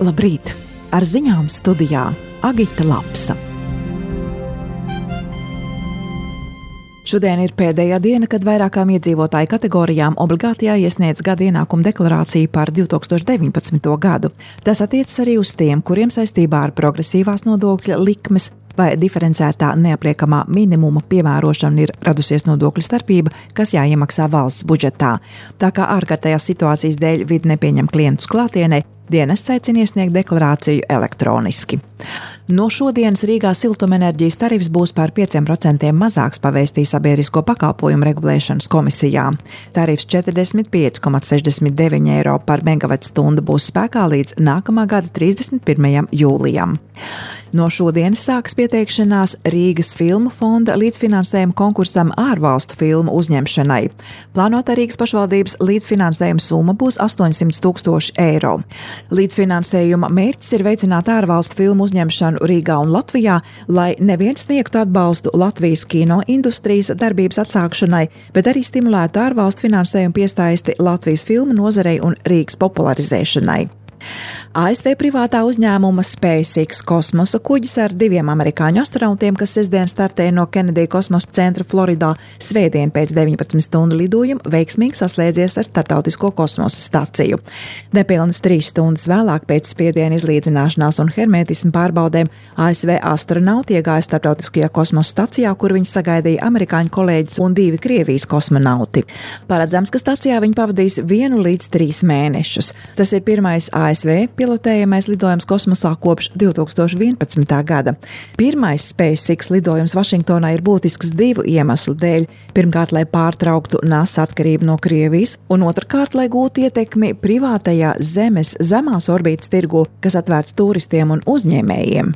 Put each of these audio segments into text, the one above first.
Labrīt! Ar ziņām studijā Agita Lapsa. Šodien ir pēdējā diena, kad vairākām iedzīvotāju kategorijām obligāti jāiesniedz gada ienākuma deklarācija par 2019. gadu. Tas attiecas arī uz tiem, kuriem saistībā ar progresīvās nodokļa likmes vai diferencētā neapliekamā minimuma piemērošana ir radusies nodokļu starpība, kas jāiemaksā valsts budžetā. Tā kā ārkārtējās situācijas dēļ vide nepieņem klientus klātienē, dienests aicina iesniegt deklarāciju elektroniski. No šodienas Rīgā siltumenerģijas tarifs būs par 5% mazāks, pavēstīja Sabiedrisko pakalpojumu regulēšanas komisijā. Tarifs 45,69 eiro par megavatstundu būs spēkā līdz nākamā gada 31. jūlijam. No šodienas sāks pieteikšanās Rīgas filmu fonda līdzfinansējuma konkursam ārvalstu filmu uzņemšanai. Plānotā Rīgas pašvaldības līdzfinansējuma summa būs 800 000 eiro. Līdzfinansējuma mērķis ir veicināt ārvalstu filmu uzņemšanu Rīgā un Latvijā, lai neviens sniegtu atbalstu Latvijas kino industrijas darbības atsākšanai, bet arī stimulētu ārvalstu finansējumu piesaisti Latvijas filmu nozarei un Rīgas popularizēšanai. ASV privātā uzņēmuma SpaceX kosmosa kuģis ar 2 amerikāņu astronautiem, kas sestdien startēja no Kennedy kosmosa centra Floridā, svētdien pēc 19 stundu lidojuma veiksmīgi saslēdzies ar starptautisko kosmosa staciju. Nepilnas 3 stundas vēlāk pēc spiediena izlīdzināšanās un hermetismu pārbaudēm ASV astronauti iegāja starptautiskajā kosmosa stacijā, kur viņus sagaidīja amerikāņu kolēģis un 2 Krievijas kosmonauti. Paredzams, ka stacijā viņi pavadīs 1 līdz 3 mēnešus. Tas ir pirmais ASV pilotējamais lidojums kosmosā kopš 2011. gada. Pirmais SpaceX lidojums Vašingtonā ir būtisks 2 iemeslu dēļ. Pirmkārt, lai pārtrauktu NASA atkarību no Krievijas, un otrkārt, lai gūtu ietekmi privātajā Zemes zemās orbītas tirgu, kas atvērts turistiem un uzņēmējiem.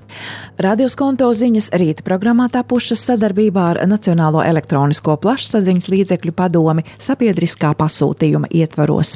Radio Skonto ziņas rīta programmā tapušas sadarbībā ar Nacionālo elektronisko plašsaziņas līdzekļu padomi sabiedriskā pasūtījuma ietvaros.